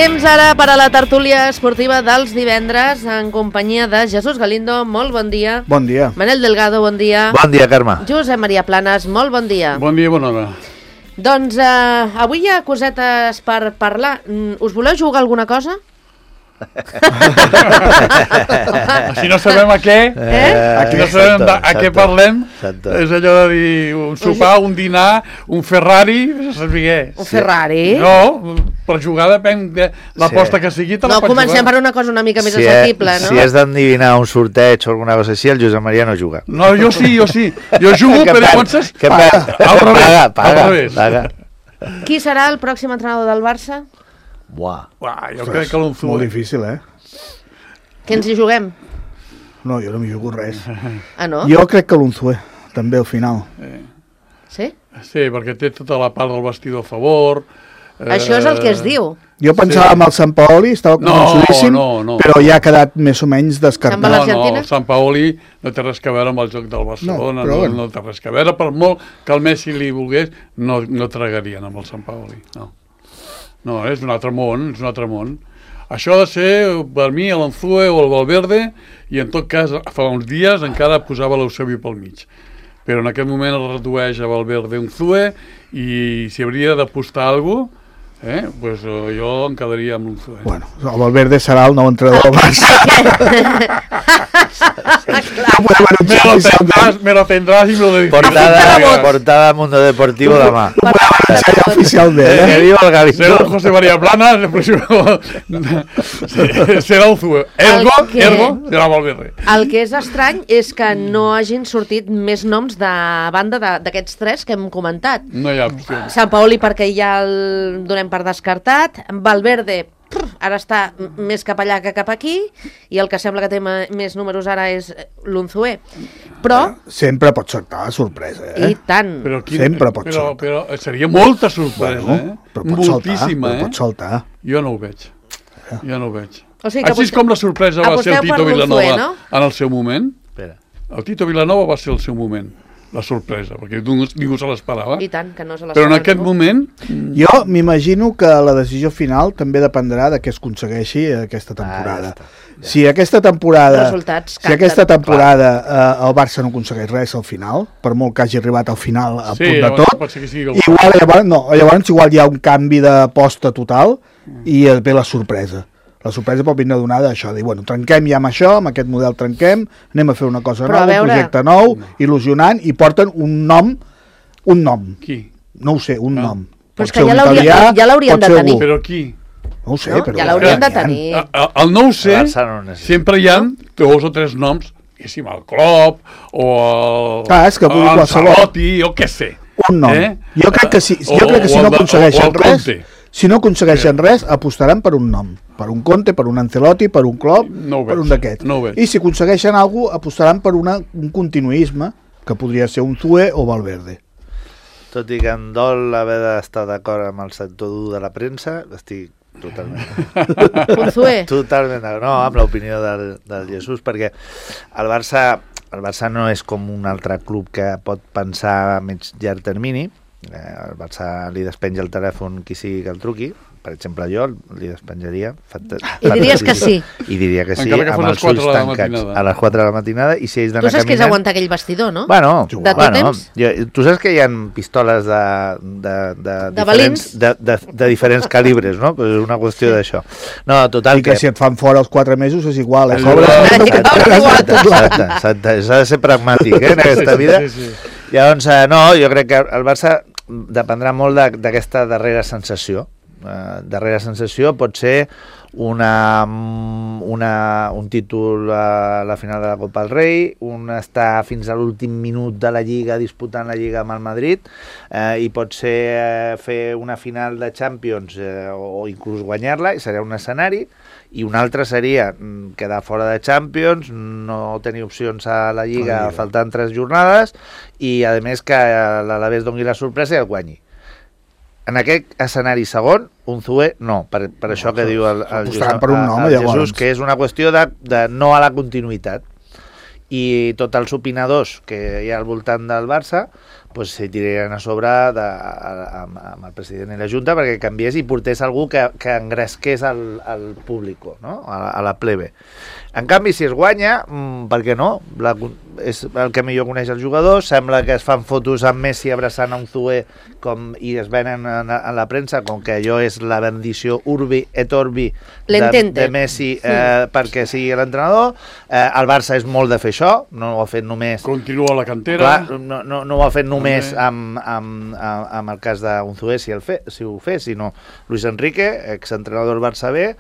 Temps ara per a la tertúlia esportiva dels divendres en companyia de Jesús Galindo, molt bon dia. Bon dia. Manel Delgado, bon dia. Bon dia, Carme. Josep Maria Planes, molt bon dia. Bon dia, bona hora. Doncs avui hi ha cosetes per parlar. Us voleu jugar alguna cosa? Així no sabem a què, aquí no sabem a què parlem. És allò de dir un sopar, un dinar, un Ferrari, no sé què. Un Ferrari? No, per jugar depèn de l'aposta que sigui, te la pots jugar. No, comencem per una cosa una mica més assequible, no? Si és d'endevinar un sorteig o alguna cosa així, el Josep Maria no juga. No, jo sí. Jo jugo, però llavors... Paga. Qui serà el pròxim entrenador del Barça? Buah. Jo crec que l'Unzue. Molt difícil, Què ens hi juguem? No, jo no m'hi jugo res. Ah, no? Jo crec que l'Unzue, també al final. Sí? Sí, perquè té tota la part del vestidor a favor. Això és el que es diu. Jo pensava en el Sampaoli, estava convençudíssim, no. però ja ha quedat més o menys descartat. l'Argentina? No, el Sampaoli no té res a veure amb el joc del Barcelona, no té res a veure, per molt que el Messi li volgués, no tragarien amb el Sampaoli, no. No, és un altre món, Això ha de ser, per mi, l'Unzue o el Valverde, i en tot cas, fa uns dies encara posava l'Eusebio pel mig. Però en aquest moment es redueix a Valverde Unzue, i si hauria d'apostar alguna cosa, pues jo em quedaria amb l'Unzue. Bueno, el Valverde serà el nou entrenador del Barça. Me lo tendrás y me lo dedicarás. Portada a Mundo Deportivo demà. Serà oficial de Que viu el Gavi. Serà José María Planas, serà Unzue. Ergo, serà Valverde. El que és estrany és que no hagin sortit més noms de banda d'aquests tres que hem comentat. No hi ha opció. Sampaoli perquè ja el donem per descartat, Valverde ara està més cap allà que cap aquí, i el que sembla que té més números ara és l'Unzue. Però... Sempre pot saltar la sorpresa, I tant. Sempre pot saltar. Però seria molta sorpresa, Però pot moltíssima, saltar, pot saltar. Jo no ho veig. O sigui que Així és com la sorpresa va ser el Tito Vilanova, no? En el seu moment. Espera. El Tito Vilanova va ser el seu moment. La sorpresa, perquè ningú se l'esperava. I tant, que no se l'esperava. Però en aquest moment... Jo m'imagino que la decisió final també dependrà de què es aconsegueixi aquesta temporada. Si aquesta temporada el Barça no aconsegueix res al final, per molt que hagi arribat al final a punt de tot, llavors igual hi ha un canvi d'aposta total i ve la sorpresa. La sorpresa pot vindre donada d'això, dir, bueno, trenquem ja amb això, amb aquest model trenquem, anem a fer una cosa nova, un projecte nou, il·lusionant, i porten un nom. Qui? No ho sé, un nom. Però és que ja l'haurien de tenir. Però qui? No ho sé, però... Ja l'haurien de tenir. El no ho sé, sempre hi ha 2 o 3 noms, diguéssim, el Klopp, o el Ancelotti, o què sé. Un nom. Jo crec que si no aconsegueixen res... Si no aconsegueixen res, apostaran per un nom. Per un Conte, per un Ancelotti, per un Klopp, per un d'aquests. I si aconsegueixen alguna cosa, apostaran per un continuisme, que podria ser Unzue o Valverde. Tot i que em dol haver d'estar d'acord amb el sector dur de la premsa, estic totalment... Unzue? Totalment, no, amb l'opinió del Jesús, perquè el Barça no és com un altre club que pot pensar a mig llarg termini. El Barça li despenja el telèfon qui sigui que el truqui, per exemple jo li despenjaria i diries que sí, i diria que sí, amb els ulls tancats a les 4 de la matinada, i si ells d'anar caminant... Tu saps que és aguantar aquell vestidor, no? Bueno, de tot temps? Tu saps que hi ha pistoles de diferents calibres, no? Pues és una qüestió d'això. No, total, i que si et fan fora els 4 mesos és igual, Exacte, s'ha de ser pragmàtic en aquesta vida. Llavors, no, jo crec que el Barça dependrà molt d'aquesta darrera sensació. Darrera sensació pot ser un títol a la final de la Copa del Rei, estar fins a l'últim minut de la Lliga disputant la Lliga amb el Madrid, i pot ser fer una final de Champions o inclús guanyar-la, i serà un escenari, i un altre seria quedar fora de Champions, no tenir opcions a la Lliga faltant 3 jornades, i a més que l'Alavés doni la sorpresa i el guanyi. En aquest escenari segon, Unzue no, per això que diu el Jesús, que és una qüestió de no a la continuïtat. I tots els opinadors que hi ha al voltant del Barça doncs s'hi tirarien a sobre amb el president i la Junta perquè canviés i portés algú que engresqués al públic, no? A la plebe. En canvi, si es guanya, per què no? És el que millor coneix el jugador, sembla que es fan fotos amb Messi abraçant a Unzué i es venen a la premsa com que allò és la bendició urbi et orbi de Messi perquè sigui l'entrenador. El Barça és molt de fer això, no ho ha fet només... Continua la cantera. Clar, no ho ha fet només amb el cas d'Unzué, si ho fes, sinó Luis Enrique, exentrenador del Barça B,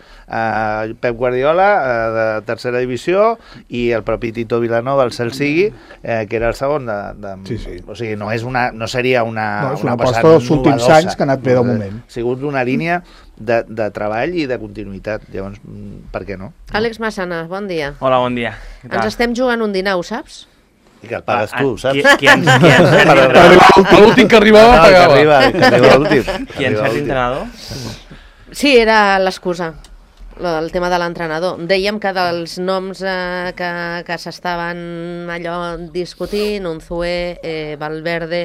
Pep Guardiola, de tercera divisió, i el propi Tito Vilanova, el cel sigui, que era el segon Sí. O sigui, no seria una aposta dels últims anys que ha anat bé del moment. Ha sigut una línia de treball i de continuïtat, llavors, per què no? Àlex Massana, bon dia. Hola, bon dia. Ens estem jugant un dinar, ho saps? I que el pagues tu, saps? L'últim que arribava pagava. Qui en cert entrenador? Sí, era l'excusa, el tema de l'entrenador. Dèiem que dels noms que s'estaven allò discutint, Unzué, Valverde,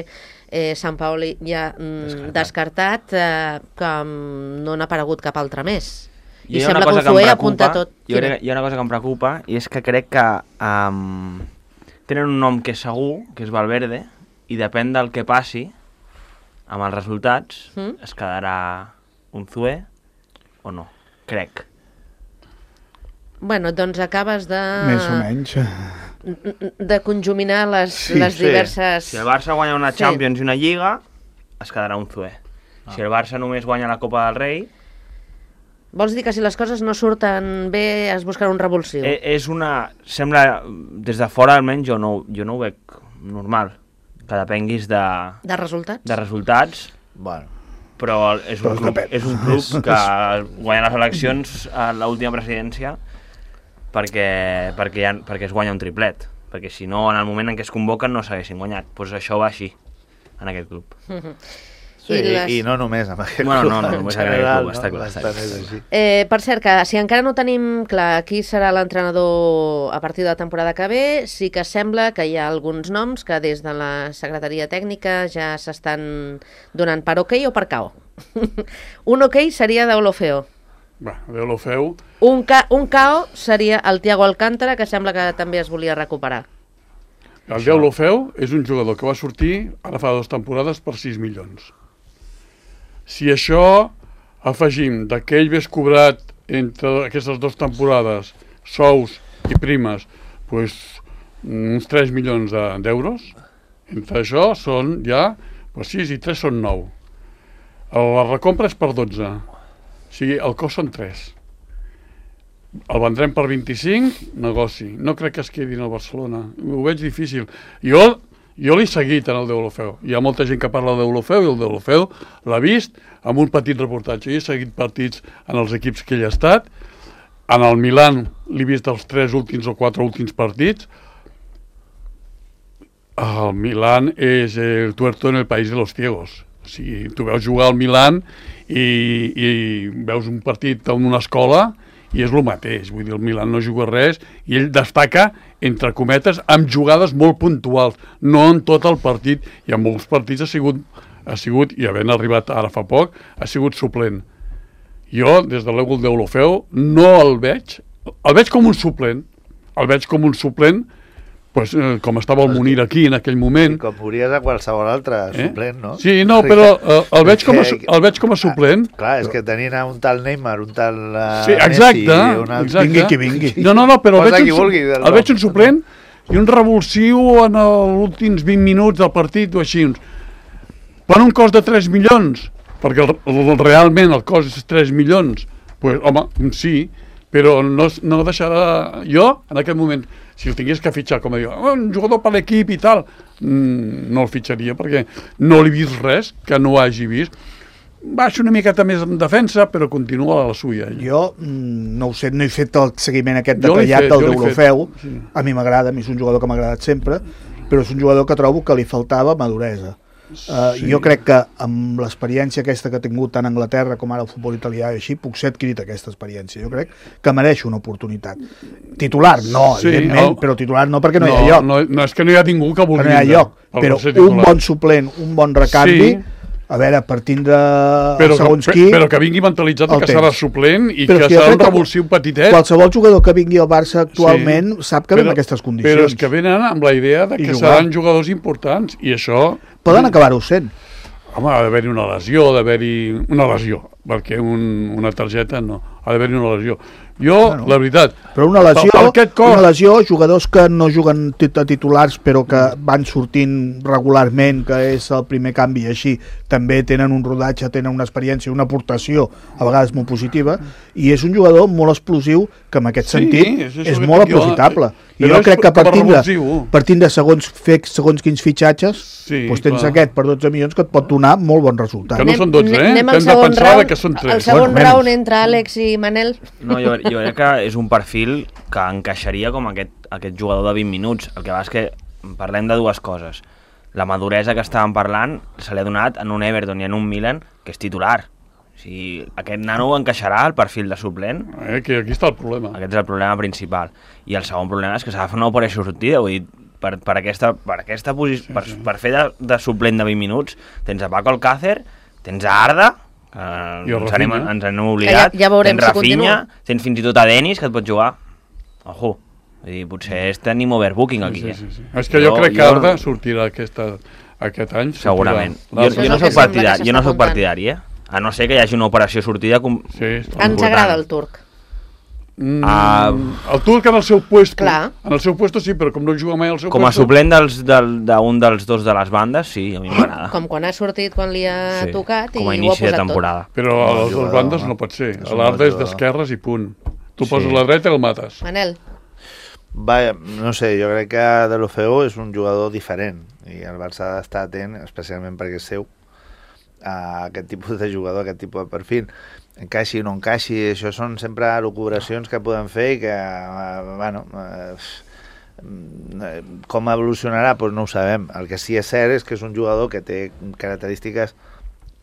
Sampaoli ja descartat, que no n'ha aparegut cap altre més. I sembla que Unzué apunta tot. Hi ha una cosa que em preocupa, i és que crec que tenen un nom que és segur, que és Valverde, i depèn del que passi amb els resultats, es quedarà Unzué o no, crec. Bueno, doncs acabes de... Més o menys. De conjuminar les diverses... Si el Barça guanya una Champions i una Lliga, es quedarà Unzué. Si el Barça només guanya la Copa del Rei... Vols dir que si les coses no surten bé es buscarà un revulsiu? Sembla, des de fora almenys, jo no ho veig normal. Que depenguis de... De resultats? De resultats. Bueno. Però és un club que guanya les eleccions a l'última presidència perquè es guanya un triplet. Perquè si no, en el moment en què es convoquen no s'haguessin guanyat. Doncs això va així, en aquest club. Sí, i no només amb aquest club. No només en aquest club, està clar. Per cert, que si encara no tenim clar qui serà l'entrenador a partir de la temporada que ve, sí que sembla que hi ha alguns noms que des de la secretaria tècnica ja s'estan donant per ok o per KO. Un ok seria d'Olofeo. D'Olofeo. Un KO seria el Thiago Alcántara, que sembla que també es volia recuperar. El d'Olofeu és un jugador que va sortir ara fa 2 temporades per 6 milions. Si això afegim que ell hagués cobrat entre aquestes 2 temporades sous i primes uns 3 milions d'euros, entre això són ja 6 i 3 són 9. La recompra és per 12, o sigui, el cost són 3. El vendrem per 25, negoci. No crec que es quedin al Barcelona, ho veig difícil. Jo l'he seguit en el d'Olofeu. Hi ha molta gent que parla d'Olofeu i el d'Olofeu l'ha vist amb un petit reportatge. Jo he seguit partits en els equips que ell ha estat. En el Milan l'he vist els 3 últims o 4 últims partits. El Milan és el tuerto en el país de los ciegos. O sigui, tu veus jugar al Milan i veus un partit en una escola i és el mateix, vull dir, el Milan no juga res i ell destaca, entre cometes, amb jugades molt puntuals, no en tot el partit, i en molts partits ha sigut, i havent arribat ara fa poc, ha sigut suplent. Jo, des de l'ègol d'Olofeu, no el veig com un suplent, com estava el Munir aquí en aquell moment. I com podries a qualsevol altre suplent, no? Sí, no, però el veig com a suplent. Clar, és que tenint un tal Neymar, un tal Messi... Exacte. Vingui qui vingui. No, però el veig un suplent i un revulsiu en els últims 20 minuts del partit o així. Per un cost de 3 milions, perquè realment el cost és 3 milions, home, sí, però no deixarà... Jo, en aquest moment, si el tingués que fitxar, com a dir, un jugador per l'equip i tal, no el fitxaria, perquè no l'he vist res que no hagi vist. Baixa una miqueta més en defensa, però continua a la suya. Jo, no ho sé, no he fet el seguiment aquest detallat del d'Olofeu. A mi m'agrada, a mi és un jugador que m'ha agradat sempre, però és un jugador que trobo que li faltava maduresa. Jo crec que amb l'experiència aquesta que ha tingut tant a Anglaterra com ara el futbol italià i així, puc ser adquirit aquesta experiència. Jo crec que mereix una oportunitat. Titular, no, evidentment, però titular no perquè no hi ha lloc. No és que no hi ha ningú que vulgui. No hi ha lloc, però un bon suplent, un bon recanvi, a veure, per tindre segons qui... Però que vingui mentalitzat que serà suplent i que serà un revulsiu petitet. Qualsevol jugador que vingui al Barça actualment sap que ve en aquestes condicions. Però és que venen amb la idea que seran jugadors importants i això... Poden acabar-ho sent. Home, ha d'haver-hi una lesió, perquè una targeta no, ha d'haver-hi una lesió. La veritat... Però una lesió, jugadors que no juguen titulars però que van sortint regularment, que és el primer canvi, així també tenen un rodatge, tenen una experiència, una aportació, a vegades molt positiva, i és un jugador molt explosiu que en aquest sentit és molt aprofitable. I jo crec que partint de segons quins fitxatges, tens aquest per 12 milions que et pot donar molt bon resultat. Que no són 12, Anem al segon round, el segon round entre Àlex i Manel. No, jo crec que és un perfil que encaixaria com aquest jugador de 20 minuts. El que va és que parlem de dues coses. La maduresa que estàvem parlant se l'ha donat en un Everton i en un Milan que és titular. O sigui, aquest nano encaixarà al perfil de suplent. Que aquí està el problema. Aquest és el problema principal. I el segon problema és que s'ha de fer una operació sortida. Vull dir, per aquesta posició, per fer de suplent de 20 minuts, tens a Paco Alcácer, tens a Arda, ens hem oblidat, tens Rafinha, tens fins i tot a Denis, que et pot jugar. Ojo, vull dir, potser és tenim overbooking aquí. És que jo crec que Arda sortirà aquest any. Segurament. Jo no soc partidari, a no ser que hi hagi una operació sortida. Ens agrada el turc. El turc en el seu puesto sí, però com no juga mai al seu com a suplent d'un dels dos de les bandes, sí, a mi m'agrada. Com quan ha sortit, quan li ha tocat, i com a inici de temporada. Però a les dues bandes no pot ser. L'Arda és d'esquerres i punt. Tu poses la dreta i el mates. Manel. No sé, jo crec que Deulofeu és un jugador diferent i el Barça ha d'estar atent, especialment perquè és seu, a aquest tipus de jugador, a aquest tipus de perfil. Encaixi o no encaixi, això són sempre elucubracions que podem fer i que, com evolucionarà, doncs no ho sabem. El que sí és cert és que és un jugador que té característiques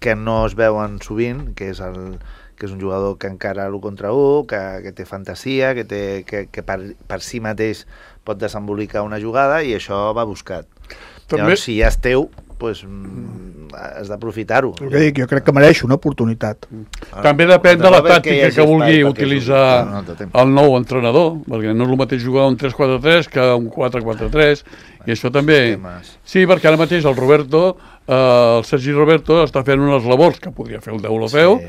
que no es veuen sovint, que és un jugador que encara l'1 contra 1, que té fantasia, que per si mateix pot desembolicar una jugada i això va buscat. Llavors, si ja és teu, has d'aprofitar-ho. Jo crec que mereix una oportunitat. També depèn de la tàctica que vulgui utilitzar el nou entrenador, perquè no és el mateix jugar un 3-4-3 que un 4-4-3, i això també... Sí, perquè ara mateix el Sergi Roberto està fent unes labors que podria fer el Deulofeu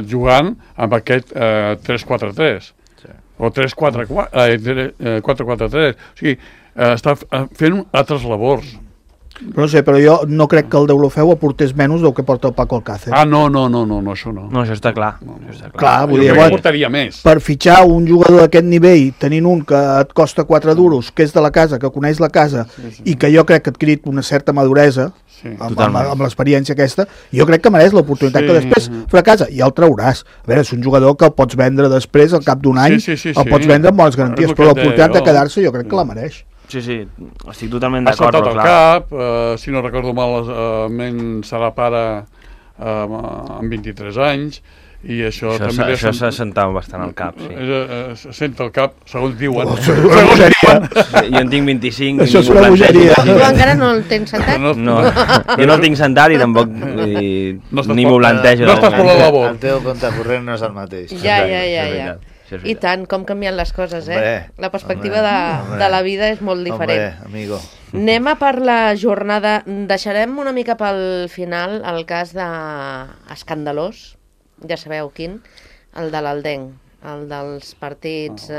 jugant amb aquest 3-4-3 o 4-4-3. O sigui, està fent altres labors. No sé, però jo no crec que el Deulofeu aportés menys del que porta el Paco Alcácer. No, això no. No, això està clar. Clar, vull dir, portaria més. Per fitxar un jugador d'aquest nivell, tenint un que et costa 4 duros, que és de la casa, que coneix la casa, i que jo crec que ha adquirit una certa maduresa, amb l'experiència aquesta, jo crec que mereix l'oportunitat que després fracassa, i el trauràs. A veure, és un jugador que el pots vendre després, al cap d'un any, el pots vendre amb bones garanties, però l'oportunitat de quedar-se jo crec que la mereix. Sí, estic totalment d'acord. Ha saltat el cap, si no recordo mal, serà pare amb 23 anys, i això també... Això s'ha sentat bastant al cap, sí. Se senta al cap, segons diuen. Jo en tinc 25. Això és una bogeria. Tu encara no el tens sentat? No, jo no el tinc sentat i tampoc ni m'ho plantejo. No estàs per la labor. El teu compte corrent no és el mateix. Ja. I tant, com canvien les coses, La perspectiva de la vida és molt diferent. Amigo. Anem a per la jornada. Deixarem una mica pel final el cas escandalós, ja sabeu quin, el de l'Aldenc, el dels partits...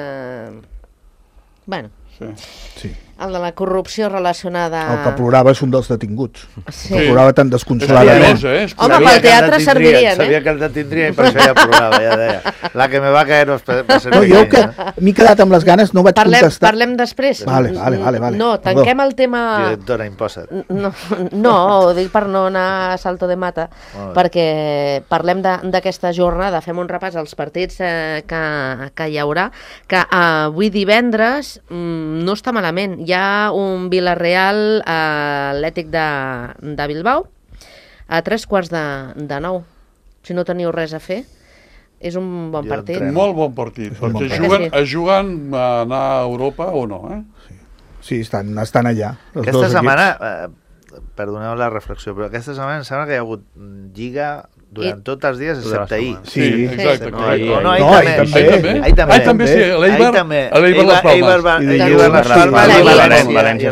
Sí. El de la corrupció relacionada... El que plorava és un dels detinguts. Sí. Que plorava tan desconsoladament. Home, pel teatre servirien, Sabia que el detindrien i per això ja plorava, ja deia. La que me va caer va ser no, jo que m'he quedat amb les ganes, no vaig contestar. Parlem després. Vale. No, tanquem el tema... Directora, imposa't. No, ho dic per no anar a salto de mata, perquè parlem d'aquesta jornada, fem un repàs als partits que hi haurà, que avui divendres no està malament. Hi ha un Villarreal Atlètic de Bilbao a 8:45. Si no teniu res a fer, és un bon partit. Molt bon partit, perquè juguen a anar a Europa o no, Sí, estan allà. Aquesta setmana, perdoneu la reflexió, però aquesta setmana em sembla que hi ha hagut lliga durant tots els dies, excepte ahir. Sí, exacte. Ahir també, sí. L'Eibar Les Palmes. I el València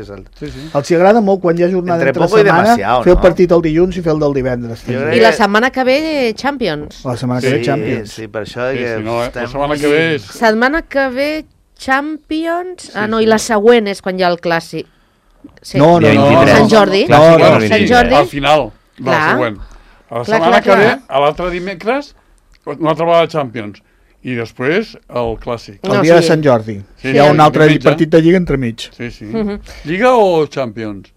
Celta, sí. Els agrada molt quan hi ha jornada entre setmana fer el partit el dilluns i fer el del divendres. I la setmana que ve Champions. La setmana que ve Champions. Sí, per això la setmana que ve és... Setmana que ve Champions... Ah, no, i la següent és quan hi ha el clàssic. No. Sant Jordi. Sant Jordi. Al final, la següent. A la setmana que ve, a l'altre dimecres, una altra vegada Champions. I després el clàssic. El dia de Sant Jordi. Hi ha un altre partit de Lliga entremig. Sí. Lliga o Champions?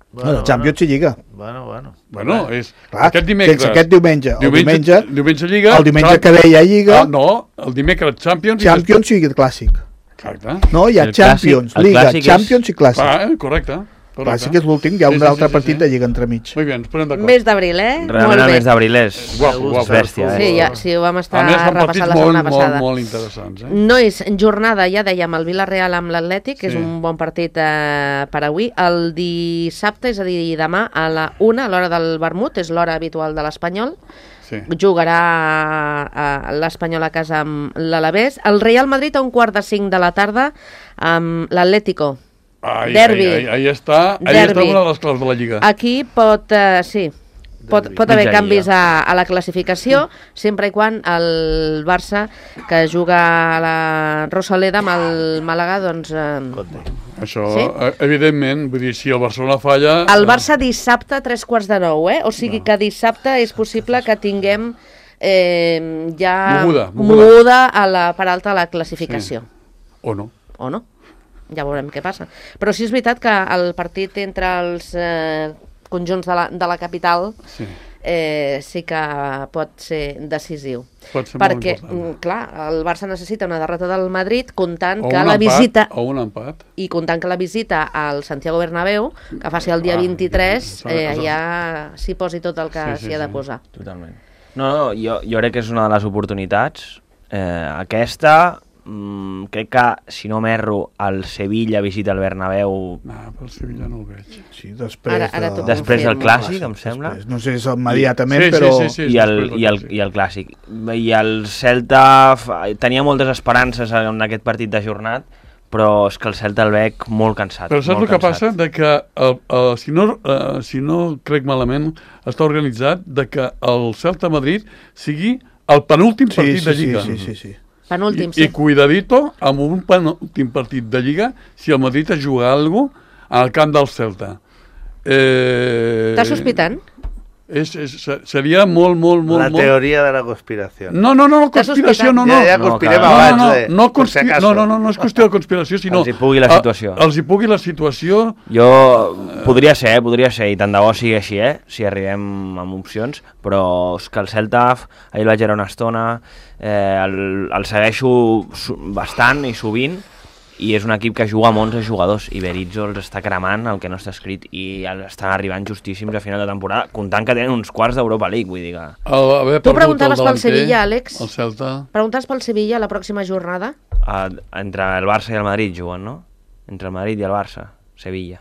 Champions i Lliga. Bueno, és aquest dimecres. Aquest diumenge. Diumenge Lliga. El diumenge que ve hi ha Lliga. No, el dimecres Champions. Champions i Clàssic. Exacte. No, hi ha Champions, Lliga, Champions i Clàssic. Correcte. Clàssic és l'últim, hi ha un altre partit de Lliga entremig. Molt bé, ens posem d'acord. Mes d'abril, Realment el mes d'abril és bèstia. Sí, ho vam estar repassant la setmana passada. Molt interessants. Nois, jornada, ja dèiem, el Villarreal amb l'Atlètic, és un bon partit per avui. El dissabte, és a dir, demà, a la 1, a l'hora del vermut, és l'hora habitual de l'Espanyol. Jugarà l'Espanyol a casa amb l'Alavés. El Real Madrid a 4:45 de la tarda amb l'Atlético. Derbi. Ahí està una de les claus de la Lliga. Aquí pot haver canvis a la classificació, sempre i quan el Barça, que juga a la Rosaleda amb el Màlaga, doncs... Això, evidentment, vull dir, si el Barcelona falla... El Barça dissabte a 8:45, O sigui que dissabte és possible que tinguem ja moguda a la part alta de la classificació. O no. Ja veurem què passa. Però sí és veritat que el partit entre els conjunts de la capital sí que pot ser decisiu. Perquè, clar, el Barça necessita una derrota del Madrid comptant que la visita... O un empat. I comptant que la visita al Santiago Bernabéu, que faci el dia 23, ja s'hi posi tot el que s'hi ha de posar. Totalment. No, jo crec que és una de les oportunitats. Aquesta... crec que, si no m'erro, el Sevilla visita el Bernabéu... Pel Sevilla no el veig. Sí, després del Clàssic, em sembla. No sé si és immediatament, però... I el Clàssic. I el Celta tenia moltes esperances en aquest partit de jornat, però és que el Celta el veig molt cansat. Però saps el que passa? De que, si no crec malament, està organitzat de que el Celta Madrid sigui el penúltim partit de Lliga. Sí. Penúltim, I cuidadito amb un penúltim partit de Lliga si el Madrid es juga alguna cosa al camp del Celta. Estàs sospitant? Seria molt... La teoria de la conspiració. No, conspiració no. Ja conspirem abans. No és qüestió de conspiració, sinó... Els hi pugui la situació. Jo... Podria ser, i tant de bo sigui així, si arribem amb opcions, però és que el Celta, ahir vaig veure una estona, el segueixo bastant i sovint, i és un equip que juga amb 11 jugadors i Berizzo els està cremant el que no està escrit i estan arribant justíssims a final de temporada, comptant que tenen uns quarts d'Europa League, vull dir que... Tu preguntaves pel Sevilla, Àlex? El Celta... Preguntaves pel Sevilla la pròxima jornada? Entre el Barça i el Madrid juguen, no? Entre el Madrid i el Barça, Sevilla.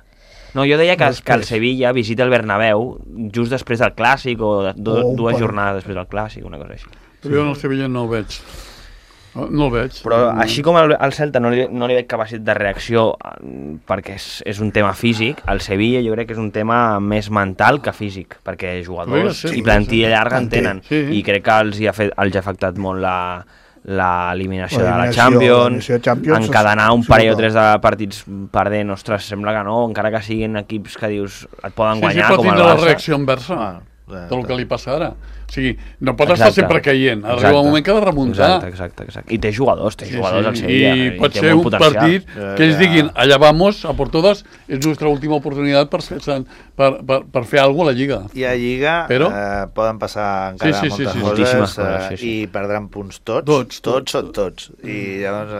No, jo deia que el Sevilla visita el Bernabéu just després del Clàssic o dues jornades després del Clàssic, una cosa així. Però jo el Sevilla no el veig. No el veig. Però així com al Celta no li veig capacitat de reacció perquè és un tema físic, el Sevilla jo crec que és un tema més mental que físic, perquè jugadors i plantilla llarga en tenen. I crec que els ha afectat molt l'eliminació de la Champions, encadenar un parell o tres de partits perdent, ostres, sembla que no, encara que siguin equips que dius et poden guanyar com el Barça. Sí, pot tindre la reacció inversa del que li passa ara. O sigui, no pot estar sempre caient. Arriba un moment que ha de remuntar. Exacte. I té jugadors al Sevilla. I pot ser un partit que ells diguin, allà vamos, a por todas, és nostra última oportunitat per fer alguna cosa a la Lliga. I a Lliga poden passar encara moltes coses i perdran punts tots. I llavors,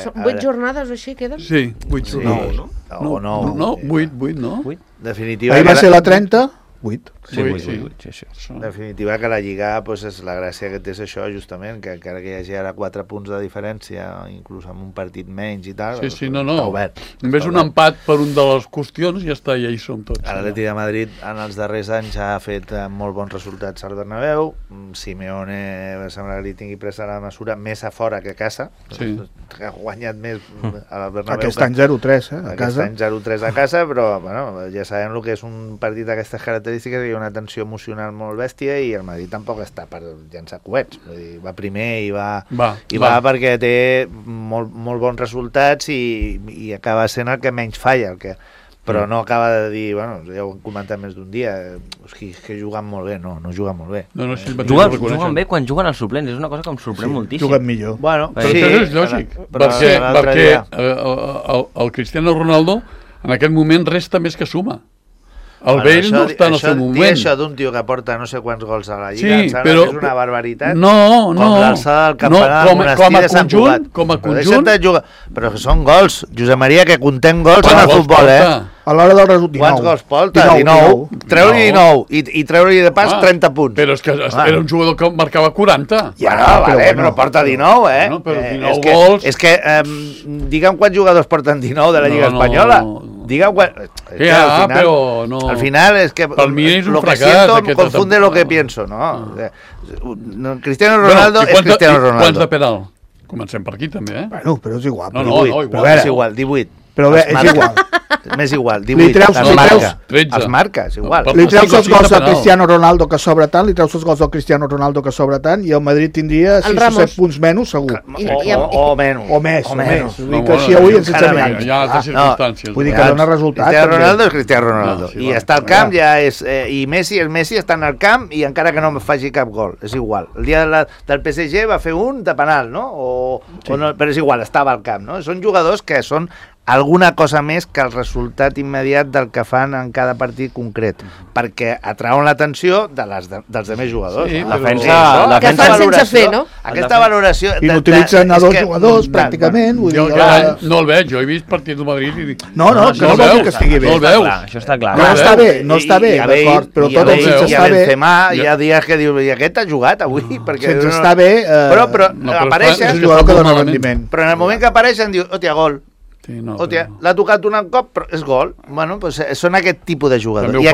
Són 8 jornades o així queden? Sí, 8 jornades. No, 8, no? Definitiva. Ahir va ser la 30, 8. Sí. En definitiva, que la Lliga, pues, és la gràcia que té és això, justament, que encara que hi hagi ara 4 punts de diferència, inclús amb un partit menys i tal, no. Està obert. Només un empat per un de les qüestions i ja està, ja hi som tots. L'Atleti de Madrid en els darrers anys ha fet molt bons resultats al Bernabéu. Simeone sembla que li tingui presa la mesura més a fora que a casa. Sí. Ha guanyat més al Bernabéu. Aquest any 0-3, a casa. Aquest any 0-3 a casa, però bueno, ja sabem el que és un partit d'aquestes característiques, hi ha una tensió emocional molt bèstia i el Madrid tampoc està per llançar coets. Vull dir, va primer i va perquè té molt bons resultats i acaba sent el que menys falla, però no acaba de dir, bueno, ja ho hem comentat més d'un dia, que juguen molt bé, no juguen molt bé. Juguen bé quan juguen els suplents, és una cosa que em sorprèn moltíssim. Juguen millor. Bueno, però és lògic, perquè el Cristiano Ronaldo en aquest moment resta més que suma. El Bale no està en el seu moment. Dir això d'un tio que porta no sé quants gols a la Lliga, sí, però és una barbaritat. Com l'alçada del campanar del monestir de Sant Cugat. Com a conjunt. Però que són gols, Josep Maria, que contem gols en el futbol, A l'hora del resultat, 19. Quants gols porta? 19. Treure-li 19 i treure-li de pas 30 punts. Però és que era un jugador que marcava 40. Però porta 19, Però 19 gols... És que, digue'm quants jugadors porten 19 de la Lliga Espanyola. Digue'm quan... però no... Al final és que per mi és un lo que fracàs, siento confunde lo que pienso, ¿no? Cristiano Ronaldo és Cristiano Ronaldo. Quants de penal? Comencem per aquí també, Bueno, però és igual. És igual, 18. Però bé, és igual. M'és igual, 18. Els marca, és igual. Li treus els gols al Cristiano Ronaldo que sobra tant, li treus els gols al Cristiano Ronaldo que sobra tant, i el Madrid tindria 6 o 7 punts menys, segur. O menys. O més. Vull dir que així avui ens ensenyem. Hi ha altres circumstàncies. Vull dir que dona resultats. Cristiano Ronaldo és Cristiano Ronaldo. I està al camp, i Messi és Messi, està al camp, i encara que no faci cap gol, és igual. El dia del PSG va fer un de penal, no? Però és igual, estava al camp, no? Són jugadors que són alguna cosa més que el resultat immediat del que fan en cada partit concret, perquè atrauen l'atenció dels altres jugadors. Sí, la que fan sense fer, no? Aquesta valoració... I n'utilitzen a 2 jugadors, pràcticament. No el veig, jo he vist partit del Madrid i dic... No, que no vol dir que estigui bé. No el veus. Això està clar. No està bé, d'acord, però tot el sense està bé... Hi ha dies que diu, i aquest ha jugat avui? Sense està bé... Però apareixen... És un jugador que dona rendiment. Però en el moment que apareixen diu, hòstia, gol. Sí, no, hòstia, l'ha tocat un cop, però és gol. Bueno, doncs són aquest tipus de jugadors. I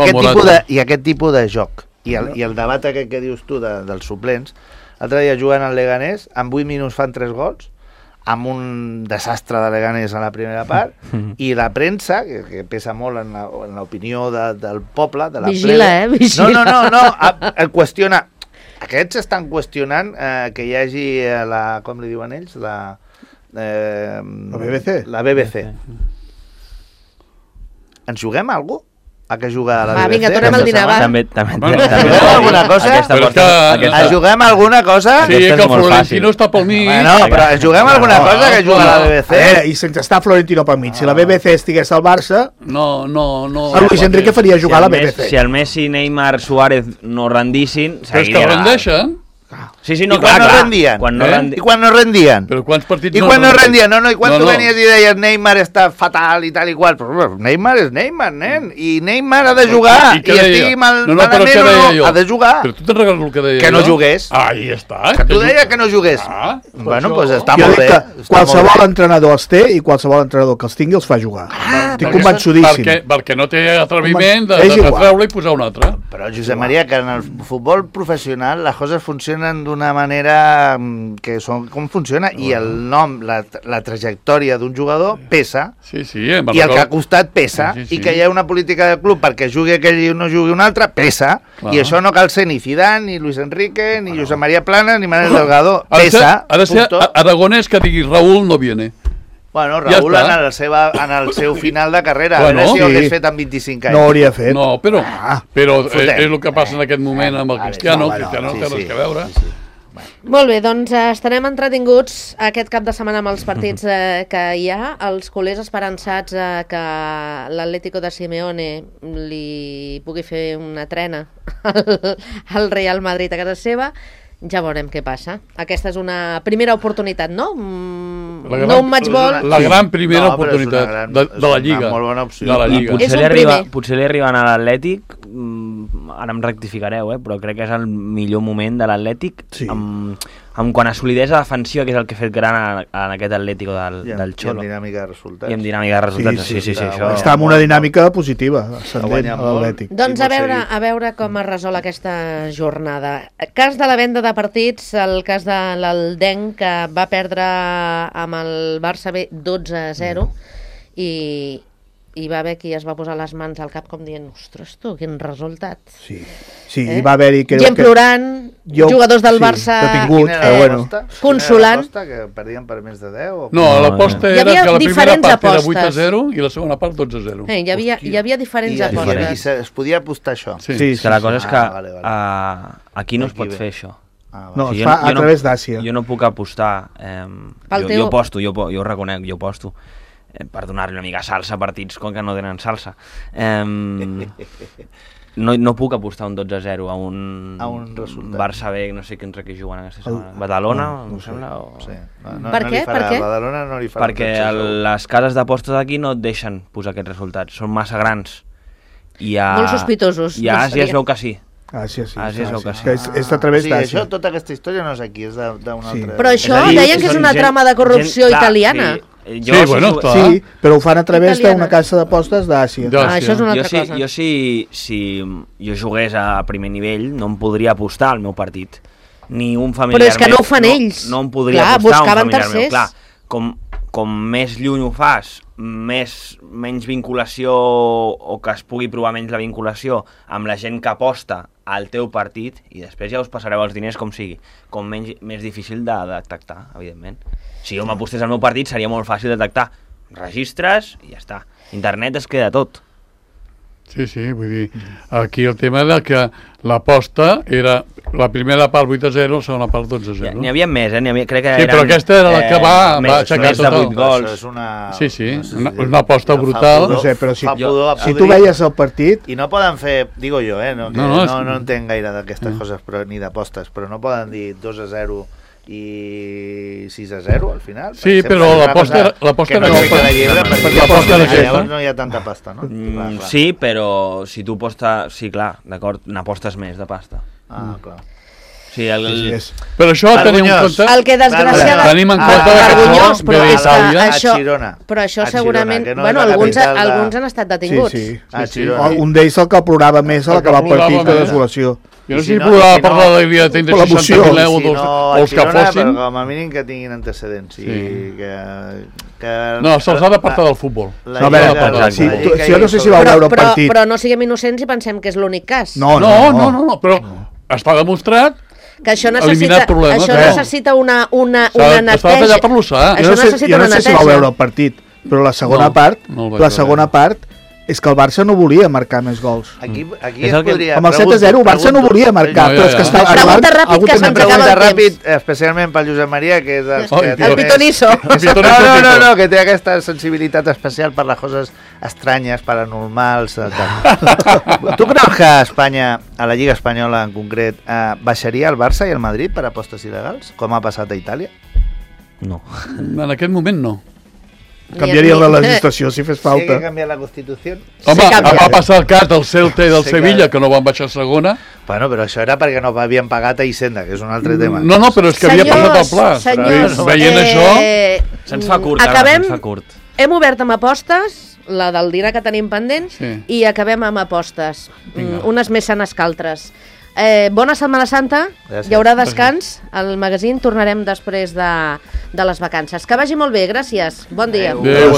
aquest tipus de joc. I el debat aquest que dius tu dels suplents, l'altre dia jugant al Leganés, en 8 minuts fan 3 gols, amb un desastre de Leganés a la primera part, i la premsa, que pesa molt en l'opinió del poble, de la vigila, vigila. No, el qüestiona. Aquests estan qüestionant que hi hagi com li diuen ells, la BBC? La BBC. Ens juguem a algú? A què juga a la BBC? Vinga, tornem al dinar, va. També alguna cosa? Ens juguem alguna cosa? Sí, que el Florentino està pel mig. No, però ens juguem alguna cosa que juga a la BBC? I sense estar Florentino pel mig. Si la BBC estigués al Barça... No. El Luis Enrique faria jugar a la BBC. Si el Messi, Neymar, Suárez no rendissin... Però és que rendeixen. Sí, no, clar, no rendien. I quan no rendien? Però quants partits I quan no rendien? No, i quan tu venies i deies Neymar està fatal i tal i qual, però Neymar és Neymar, nen, i Neymar ha de jugar, i estigui malament o no, ha de jugar. Però tu te'n recordes el que deia que no jugués. Ahí està. Que tu deies que no jugués. Bueno, doncs està molt bé. Qualsevol entrenador els té i qualsevol entrenador que els tingui els fa jugar. Estic convençudíssim. Perquè no té atreviment de treure i posar un altre. Però, Josep Maria, que en el futbol professional les coses funcionen d'una manera que són com funciona, i el nom, la trajectòria d'un jugador pesa, i el que ha costat pesa, i que hi ha una política del club perquè jugui aquell i no jugui un altre, pesa, i això no cal ser ni Zidane, ni Luis Enrique, ni Josep Maria Plana, ni Manel Delgado, pesa. Ha de ser Aragonès que digui Raúl no viene. Bueno, Raúl en el seu final de carrera, a veure si ho hagués fet amb 25 anys. No hauria fet. No, però és el que passa en aquest moment amb el Cristiano. Cristiano no té res que veure. Molt bé, doncs estarem entretinguts aquest cap de setmana amb els partits que hi ha. Els culers esperançats que l'Atlético de Simeone li pugui fer una trena al Real Madrid a casa seva. Ja veurem què passa. Aquesta és una primera oportunitat, no? No un match ball. La gran primera oportunitat de la Lliga. Una molt bona opció. De la Lliga. Potser li arriben a l'Atlètic, ara em rectificareu, però crec que és el millor moment de l'Atlètic amb quant a solidesa defensiva, que és el que ha fet gran en aquest Atlético del Xolo. I amb dinàmica de resultats. I amb dinàmica de resultats, sí. Està en una dinàmica positiva, ascendent a l'Atlètic. Doncs a veure com es resol aquesta jornada. Cas de la venda de partits, el cas de l'Aldenc, que va perdre amb el Barça B 12-0 i va haver qui es va posar les mans al cap com dient, ostres tu, quin resultat. Sí, hi va haver-hi... Gent plorant, jugadors del Barça... Detinguts, però bueno. Consolant. Quina era l'aposta, que perdien per més de 10? No, l'aposta era que la primera part era 8-0 i la segona part 12-0. Hi havia diferents apostes. I es podia apostar això? Sí. La cosa és que aquí no es pot fer això. No, es fa a través d'Àsia. Jo no puc apostar. Jo aposto, jo ho reconec, jo aposto. Per donar-li una mica salsa a partits com que no tenen salsa. No puc apostar un 12-0 a un Barça B, no sé contra qui juguen aquesta setmana. Badalona, em sembla? Per què? Badalona no li farà. Perquè les cases d'apostes aquí no et deixen posar aquests resultats, són massa grans. Molt sospitosos. I a Àsia es veu que sí. Sí. És a través d'Àsia. Tota aquesta història no és aquí, és d'una altra... Però això deien que és una trama de corrupció italiana. Sí, però ho fan a través d'una casa d'apostes d'Àsia. Això és una altra cosa. Jo si jo jugués a primer nivell no em podria apostar al meu partit. Ni un familiar meu. Però és que no ho fan ells. No em podria apostar a un familiar meu. Clar, com més lluny ho fas, menys vinculació o que es pugui provar menys la vinculació amb la gent que aposta al teu partit, i després ja us passareu els diners com sigui, com més difícil de detectar, evidentment. Si jo m'apostés al meu partit seria molt fàcil de detectar. Registres i ja està. Internet es queda tot. Sí, vull dir, aquí el tema era que l'aposta era la primera part 8-0, la segona part 12-0. N'hi havia més, crec que sí, però aquesta era la que va aixecar total. Gols. Una aposta brutal. No sé, però si tu veies el partit... I no poden fer, digo jo, no entenc gaire d'aquestes coses ni d'apostes, però no poden dir 2-0 i 6-0 al final. Sí, però l'aposta era llavors no hi ha tanta pasta, no? Sí, però si tu apostes... Sí, clar, d'acord, n'apostes més de pasta. Clar. Sí, però això tenim en compte... El que desgraciadament... Tenim en compte que però això segurament... Bueno, alguns han estat detinguts. Sí. Un d'ells el que plorava més a l'acabar el partit de desolació. Jo no sé si podrà parlar de l'idea de 60.000 euros o els que fossin. Però com a mínim que tinguin antecedents. No, se'ls ha d'apartar del futbol. Jo no sé si vau veure el partit. Però no siguem innocents i pensem que és l'únic cas. No, però està demostrat que això necessita una neteja. S'ha de tallar per l'ossar. Jo no sé si vau veure el partit, però la segona part és que el Barça no volia marcar més gols. Aquí es podria... Amb el 7-0 el Barça no volia marcar, però és que està... Pregunta ràpid, que se'ns acaba el temps. Especialment pel Josep Maria, que és... El pitonisso. No, que té aquesta sensibilitat especial per les coses estranyes, paranormals... Tu creus que Espanya, a la Lliga Espanyola en concret, baixaria el Barça i el Madrid per apostes il·legals, com ha passat a Itàlia? No. En aquest moment no. Canviaria la legislació si fes falta. Sí que canviar la Constitució. Home, va passar el cas del Celta i del Sevilla, que no van baixar a segona. Bueno, però això era perquè no havien pagat a Hisenda, que és un altre tema. No, però és que havia passat el pla. Senyors, veient això... Se'ns fa curt, Hem obert amb apostes, la del dinar que tenim pendents, i acabem amb apostes. Unes més sanes que altres. Bona Setmana Santa, hi haurà descans al magazín, tornarem després de les vacances. Que vagi molt bé, gràcies, bon dia. Adéu.